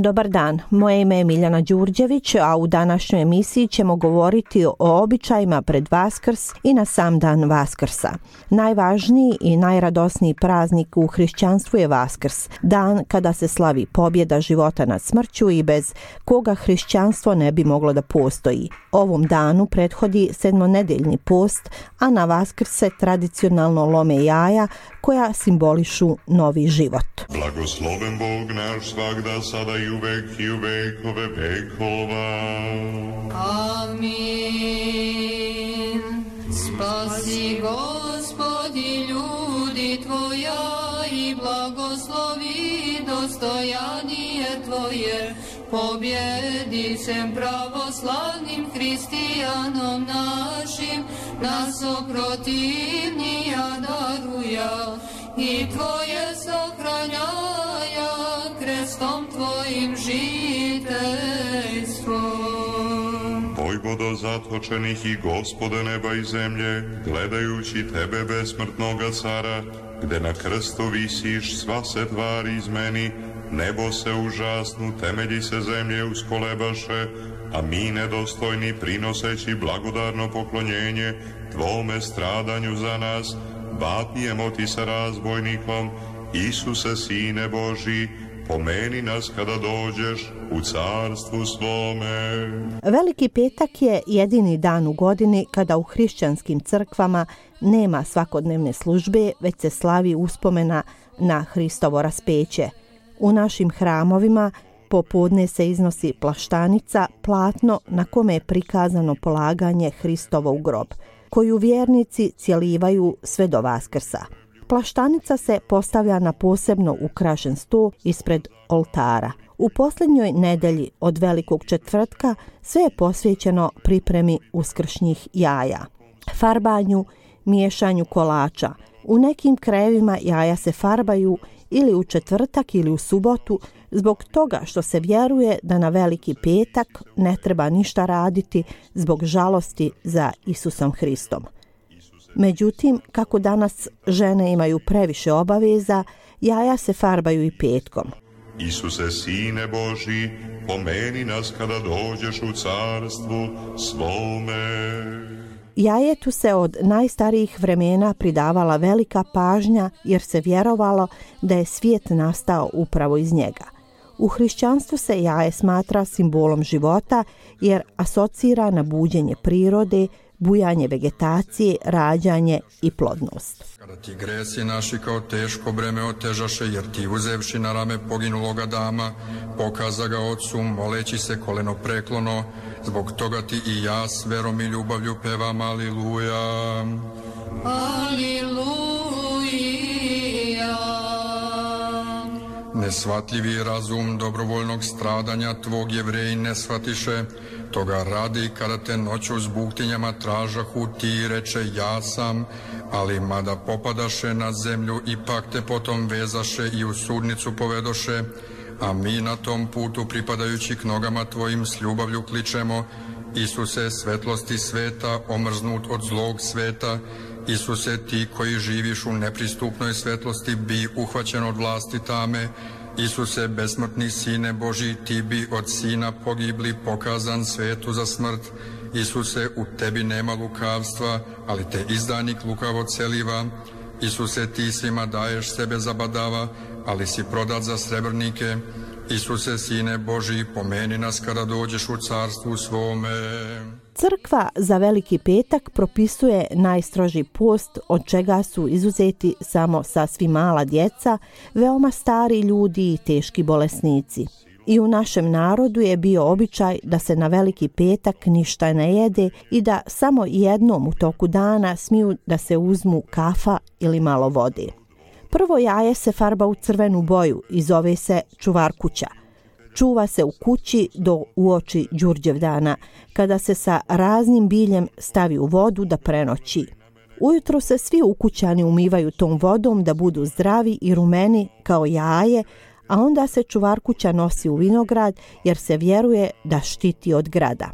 Dobar dan, moje ime je Miljana Đurđević, a u današnjoj emisiji ćemo govoriti o običajima pred Vaskrs i na sam dan Vaskrsa. Najvažniji i najradosniji praznik u hrišćanstvu je Vaskrs, dan kada se slavi pobjeda života nad smrću i bez koga hrišćanstvo ne bi moglo da postoji. Ovom danu prethodi sedmonedeljni post, a na Vaskrs se tradicionalno lome jaja koja simbolišu novi život. Blagosloven Bog naš svagda, sada i uvek i u vekove vekova. Amin. Spasi Gospodi ljudi Tvoja i blagoslovi dostojanije Tvoje. Pobjedi sem pravoslavnim hristijanom našim, nas oprotivnija daruja i Tvoje sahranjaja krestom Tvojim žiteljstvom. Vojvodo zatočenih i Gospode neba i zemlje, gledajući Tebe besmrtnoga cara, gde na krstu visiš, sva se tvari izmeni, nebo se užasnu, temelji se zemlje uskolebaše, a mi nedostojni prinoseći blagodarno poklonjenje Tvome stradanju za nas, vapijemo Ti sa razbojnikom, Isuse, Sine Božji, pomeni nas kada dođeš u carstvu svome. Veliki petak je jedini dan u godini kada u hrišćanskim crkvama nema svakodnevne službe, već se slavi uspomena na Hristovo raspeće. U našim hramovima popodne se iznosi plaštanica, platno na kome je prikazano polaganje Hristovo u grob, koju vjernici cjelivaju sve do Vaskrsa. Plaštanica se postavlja na posebno ukrašen sto ispred oltara. U posljednjoj nedelji od Velikog četvrtka sve je posvećeno pripremi uskršnjih jaja, farbanju, miješanju kolača. U nekim krajevima jaja se farbaju ili u četvrtak ili u subotu, zbog toga što se vjeruje da na Veliki petak ne treba ništa raditi zbog žalosti za Isusom Hristom. Međutim, kako danas žene imaju previše obaveza, jaja se farbaju i petkom. Isuse, Sine Božji, pomeni nas kada dođeš u carstvu svome. Jajetu se od najstarijih vremena pridavala velika pažnja jer se vjerovalo da je svijet nastao upravo iz njega. U hrišćanstvu se jaje smatra simbolom života jer asocira na buđenje prirode, bujanje vegetacije, rađanje i plodnost. Kada ti gresi naši kao teško breme otežaše, jer ti uzevši na rame poginuloga Adama, pokaza ga Otcu, moleći se koleno preklono, zbog toga ti i ja s verom i ljubavlju pevam Aliluja. Aliluja. Nesvatljivi razum dobrovoljnog stradanja tvog Jevreji ne shvatiše, toga radi kada te noću s buktinjama tražahu ti reče ja sam, ali mada popadaše na zemlju ipak te potom vezaše i u sudnicu povedoše, a mi na tom putu pripadajući k nogama tvojim s ljubavlju kličemo Isuse, svetlosti sveta, omrznut od zlog sveta, Isuse, ti koji živiš u nepristupnoj svetlosti, bi uhvaćen od vlasti tame, Isuse, besmrtni Sine Božji, ti bi od Sina pogibli pokazan svetu za smrt, Isuse, u tebi nema lukavstva, ali te izdanik lukavo celiva, Isuse, ti svima daješ sebe zabadava, ali si prodat za srebrnike, Isuse, Sine Božji, pomeni nas kada dođeš u carstvu svome. Crkva za Veliki petak propisuje najstroži post, od čega su izuzeti samo sasvim mala djeca, veoma stari ljudi i teški bolesnici. I u našem narodu je bio običaj da se na Veliki petak ništa ne jede i da samo jednom u toku dana smiju da se uzmu kafa ili malo vode. Prvo jaje se farba u crvenu boju i zove se čuvarkuća. Čuva se u kući do uoči Đurđevdana, kada se sa raznim biljem stavi u vodu da prenoći. Ujutro se svi ukućani umivaju tom vodom da budu zdravi i rumeni kao jaje, a onda se čuvarkuća nosi u vinograd jer se vjeruje da štiti od grada.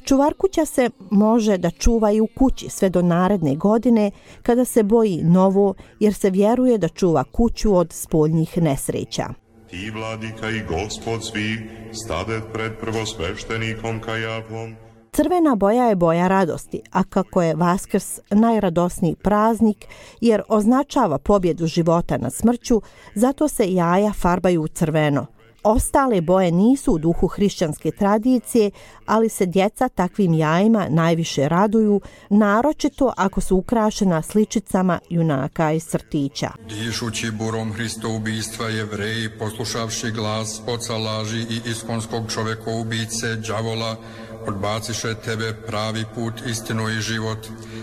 Čuvarkuća se može da čuva i u kući sve do naredne godine kada se boji novo jer se vjeruje da čuva kuću od spoljnih nesreća. Ti, vladika i gospod svih, stadet pred prvosveštenikom Kajafom. Crvena boja je boja radosti, a kako je Vaskrs najradosniji praznik jer označava pobjedu života nad smrću, zato se jaja farbaju u crveno. Ostale boje nisu u duhu hrišćanske tradicije, ali se djeca takvim jajima najviše raduju, naročito ako su ukrašena sličicama junaka iz crtića. Dišući burom Hristo ubistva Jevreji, poslušavši glas oca laži i iskonskog čovjekoubice đavola, odbaciše tebe pravi put, istinu i život,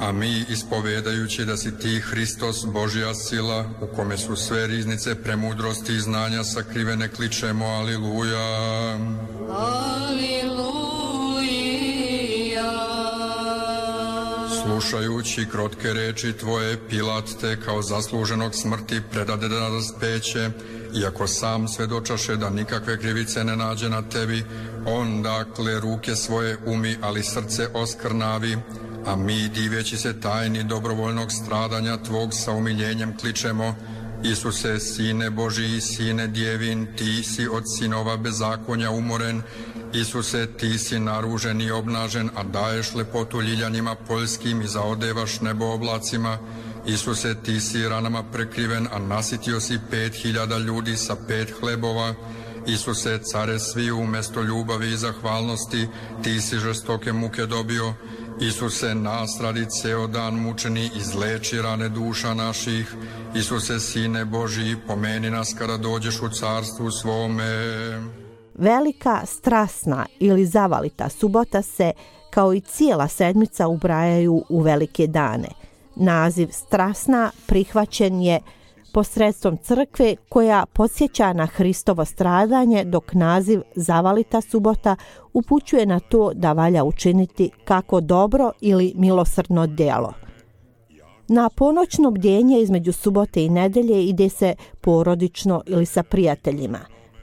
a mi ispovedajući da si ti Hristos, Božja sila, u kome su sve riznice premudrosti i znanja sakrivene, kličemo Aliluja. Aliluja. Slušajući krotke reči tvoje, Pilat te kao zasluženog smrti predade na raspeće, iako sam svedočaše da nikakve krivice ne nađe na tebi, on dakle ruke svoje umi, ali srce oskrnavi, a mi diveći se tajni dobrovoljnog stradanja tvog sa umiljenjem kličemo: Isuse, sine Božiji, sine djevin, ti si od sinova bezakonja umoren. Isuse, ti si naružen i obnažen, a daješ lepotu ljiljanima poljskim i zaodevaš nebo oblacima. Isuse, ti si ranama prekriven, a nasitio si 5.000 ljudi sa 5 hlebova. Isuse, care svi, umjesto ljubavi i zahvalnosti, ti si žestoke muke dobio. Isuse, nas radi ceo dan mučeni, izleči rane duša naših. Isuse, sine Božiji, pomeni nas kada dođeš u carstvu svome. Velika strasna ili zavalita subota se, kao i cijela sedmica, ubrajaju u velike dane. Naziv strasna prihvaćen je posredstvom crkve koja podsjeća na Hristovo stradanje, dok naziv zavalita subota upućuje na to da valja učiniti kako dobro ili milosrdno djelo. Na ponoćno bdjenje između subote i nedelje ide se porodično ili sa prijateljima.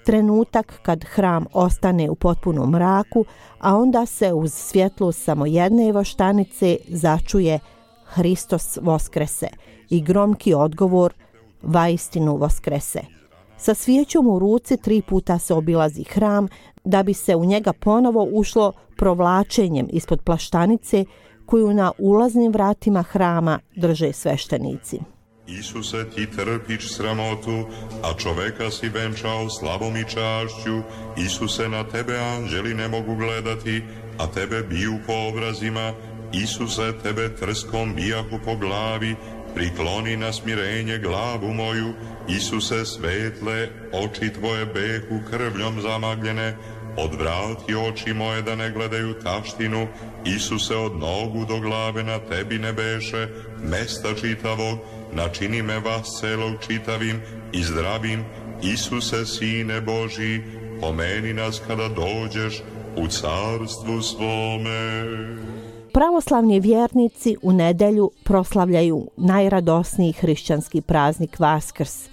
Trenutak kad hram ostane u potpunom mraku, a onda se uz svjetlo samo jedne voštanice začuje Hristos voskrese i gromki odgovor vaistinu voskrese. Sa svijećom u ruci 3 puta se obilazi hram da bi se u njega ponovo ušlo provlačenjem ispod plaštanice koju na ulaznim vratima hrama drže sveštenici. Isuse, ti trpiš sramotu, a čoveka si venčao slavom i čašću. Isuse, na tebe anđeli ne mogu gledati, a tebe biju po obrazima. Isuse, tebe trskom bijahu po glavi, prikloni na smirenje glavu moju. Isuse, svetle, oči tvoje behu krvljom zamagljene, odvrati oči moje da ne gledaju taštinu. Isuse, od nogu do glave na tebi ne beše mesta čitavog, načini me vas celog čitavim i zdravim. Isuse, sine Božji, pomeni nas kada dođeš u carstvu svome. Pravoslavni vjernici u nedjelju proslavljaju najradosniji hrišćanski praznik Vaskrs,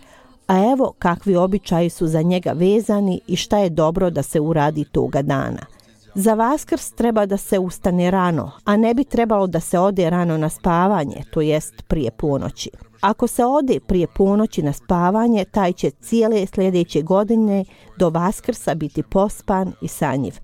a evo kakvi običaji su za njega vezani i šta je dobro da se uradi toga dana. Za Vaskrs treba da se ustane rano, a ne bi trebalo da se ode rano na spavanje, to jest prije ponoći. Ako se ode prije ponoći na spavanje, taj će cijele sljedeće godine do Vaskrsa biti pospan i sanjiv.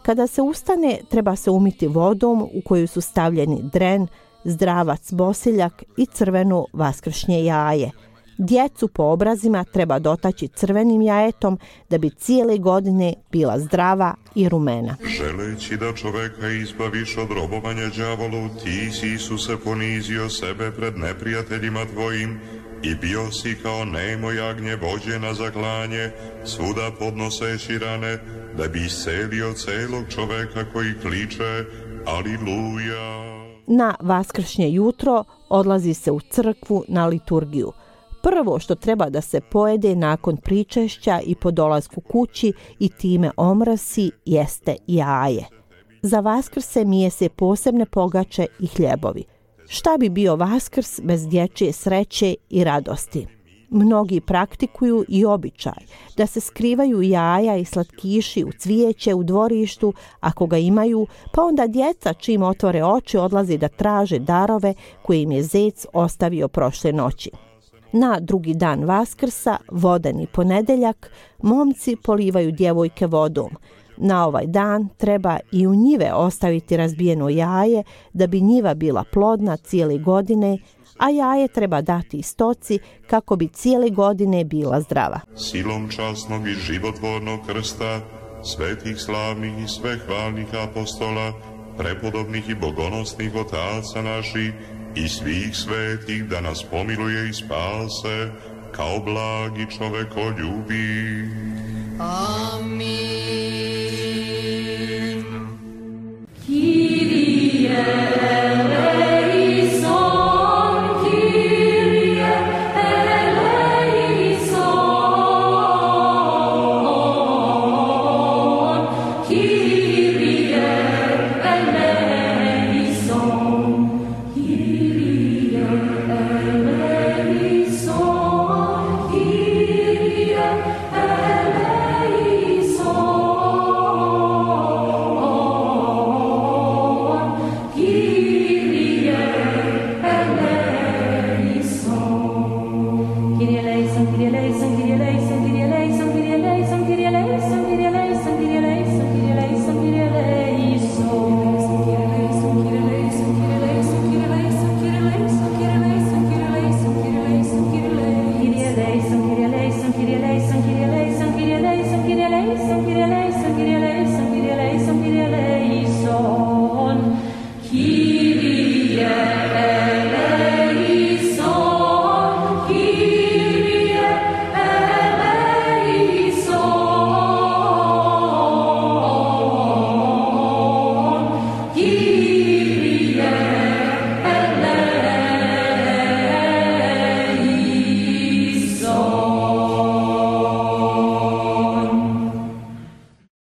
Kada se ustane, treba se umiti vodom u koju su stavljeni dren, zdravac bosiljak i crveno vaskršnje jaje. Djecu po obrazima treba dotaći crvenim jajetom da bi cijele godine bila zdrava i rumena. Želeći da čoveka izbaviš od robovanja đavolu, ti si, Isuse, ponizio sebe pred neprijateljima tvojim i bio si kao nemo jagnje vođe na zaklanje, svuda podnoseći rane, da bi iscelio celog čoveka koji kliče Aliluja. Na vaskršnje jutro odlazi se u crkvu na liturgiju. Prvo što treba da se pojede nakon pričešća i po dolasku kući i time omrsi jeste jaje. Za Vaskrse mije se posebne pogače i hljebovi. Šta bi bio Vaskrs bez dječje sreće i radosti? Mnogi praktikuju i običaj da se skrivaju jaja i slatkiši u cvijeće u dvorištu ako ga imaju, pa onda djeca čim otvore oči odlazi da traže darove koje im je zec ostavio prošle noći. Na drugi dan Vaskrsa, vodeni ponedjeljak, momci polivaju djevojke vodom. Na ovaj dan treba i u njive ostaviti razbijeno jaje da bi njiva bila plodna cijele godine, a jaje treba dati stoci kako bi cijele godine bila zdrava. Silom časnog i životvornog krsta, svetih slavnih i svehvalnih apostola, prepodobnih i bogonosnih otaca naših i svih svetih, da nas pomiluje i spase, kao blagi čovekoljubi. Amin.